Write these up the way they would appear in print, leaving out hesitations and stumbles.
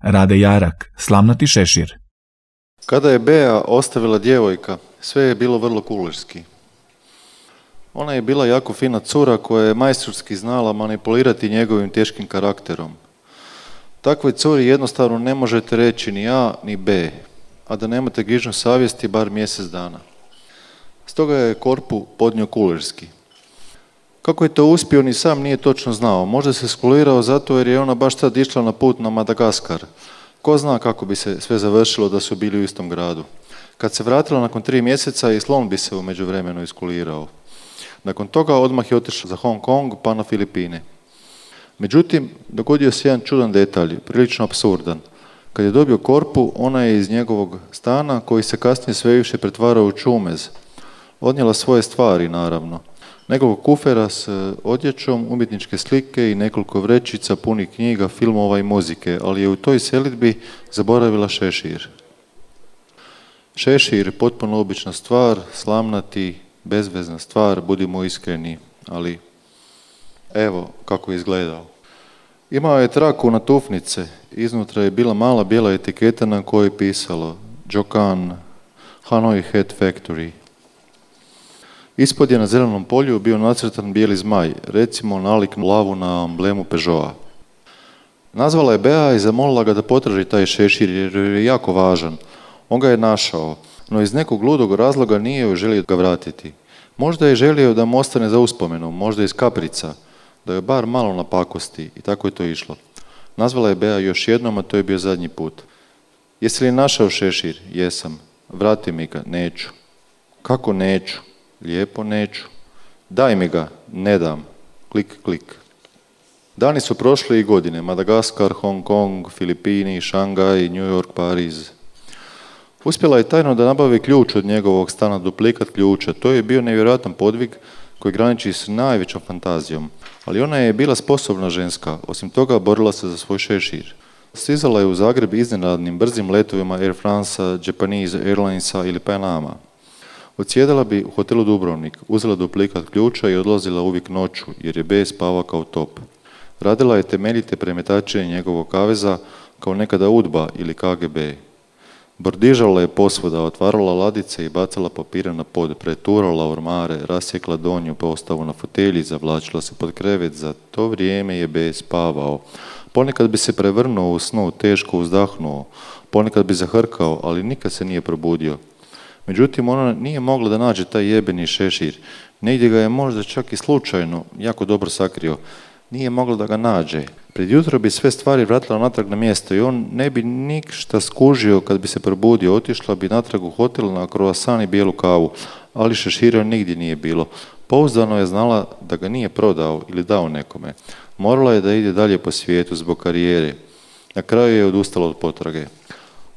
Rade Jarak, slamnati šešir. Kada je Bea ostavila djevojka, sve je bilo vrlo kulerski. Ona je bila jako fina cura koja je majstorski znala manipulirati njegovim teškim karakterom. Takvoj curi jednostavno ne možete reći ni A ni B, a da nemate grižnju savjesti bar mjesec dana. Stoga je Korpu podnio kulerski. Kako je to uspio, ni sam nije točno znao. Možda se skulirao zato jer je ona baš sad išla na put na Madagaskar. Ko zna kako bi se sve završilo da su bili u istom gradu. Kad se vratila nakon 3 mjeseca, i slon bi se u međuvremenu iskulirao. Nakon toga odmah je otišla za Hong Kong pa na Filipine. Međutim, dogodio se jedan čudan detalj, prilično apsurdan. Kad je dobio Korpu, ona je iz njegovog stana, koji se kasnije sve više pretvarao u čumez, odnijela svoje stvari, naravno. Nekoliko kufera s odjećom, umjetničke slike i nekoliko vrećica punih knjiga, filmova i muzike, ali je u toj selidbi zaboravila šešir. Šešir, potpuno obična stvar, slamnati, bezvezna stvar, budimo iskreni, ali evo kako je izgledao. Imao je traku na tufnice, iznutra je bila mala bijela etiketa na kojoj je pisalo Jokan, Hanoi Hat Factory. Ispod je na zelenom polju bio nacrtan bijeli zmaj, recimo nalik lavu na amblemu Peugeota. Nazvala je Bea i zamolila ga da potraži taj šešir jer je jako važan. On ga je našao, no iz nekog ludog razloga nije joj želio ga vratiti. Možda je želio da mu ostane za uspomenu, možda iz kaprica, da je bar malo napakosti, i tako je to išlo. Nazvala je Bea još jednom, a to je bio zadnji put. Jesi li našao šešir? Jesam. Vrati mi ga. Neću. Kako neću? Lijepo neću. Daj mi ga. Ne dam. Klik, klik. Dani su prošli i godine. Madagaskar, Hong Kong, Filipini, Šangaj, New York, Pariz. Uspjela je tajno da nabavi ključ od njegovog stana, duplikat ključa. To je bio nevjerojatan podvig koji graniči s najvećom fantazijom. Ali ona je bila sposobna ženska. Osim toga, borila se za svoj šešir. Stizala je u Zagreb iznenadnim brzim letovima Air Francea, Japanese Airlinesa ili Panama. Odsjedala bi u hotelu Dubrovnik, uzela duplikat ključa i odlazila uvijek noću, jer je B spava kao top. Radila je temeljite premetačenje njegovog kaveza kao nekada UDBA ili KGB. Bordižala je posvuda, otvarala ladice i bacala papire na pod, preturala ormare, rasjekla donju postavu na fotelji, zavlačila se pod krevet. Za to vrijeme je B spavao. Ponekad bi se prevrnuo u snu, teško uzdahnuo, ponekad bi zahrkao, ali nikad se nije probudio. Međutim, ona nije mogla da nađe taj jebeni šešir. Negdje ga je možda čak i slučajno jako dobro sakrio. Nije mogla da ga nađe. Pred jutro bi sve stvari vratila natrag na mjesto i on ne bi ništa skužio kad bi se probudio. Otišla bi natrag u hotel na kroasan i bijelu kavu, ali šešira nigdje nije bilo. Pouzdano je znala da ga nije prodao ili dao nekome. Morala je da ide dalje po svijetu zbog karijere. Na kraju je odustala od potrage.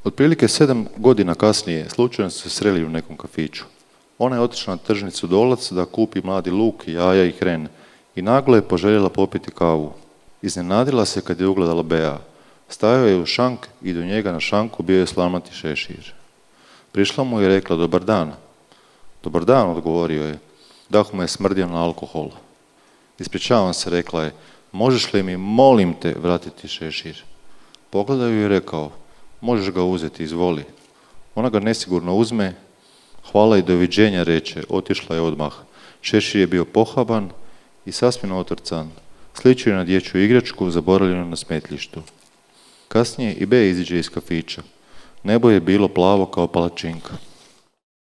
Otprilike 7 godina kasnije slučajno su se sreli u nekom kafiću. Ona je otišla na tržnicu Dolac da kupi mladi luk, jaja i hren i naglo je poželjela popiti kavu. Iznenadila se kad je ugledala Bea. Stajao je u šank i do njega na šanku bio je slamnati šešir. Prišla mu i rekla dobar dan. Dobar dan, odgovorio je. Dah mu je smrdio na alkohol. Ispričavam se, rekla je. Možeš li mi, molim te, vratiti šešir? Pogledao ju i rekao, možeš ga uzeti, izvoli. Ona ga nesigurno uzme, hvala i doviđenja reče, otišla je odmah. Šešir je bio pohaban i sasvim otrcan. Sličio je na dječju igračku, zaboravljenu na smetljištu. Kasnije i B iziđe iz kafića. Nebo je bilo plavo kao palačinka.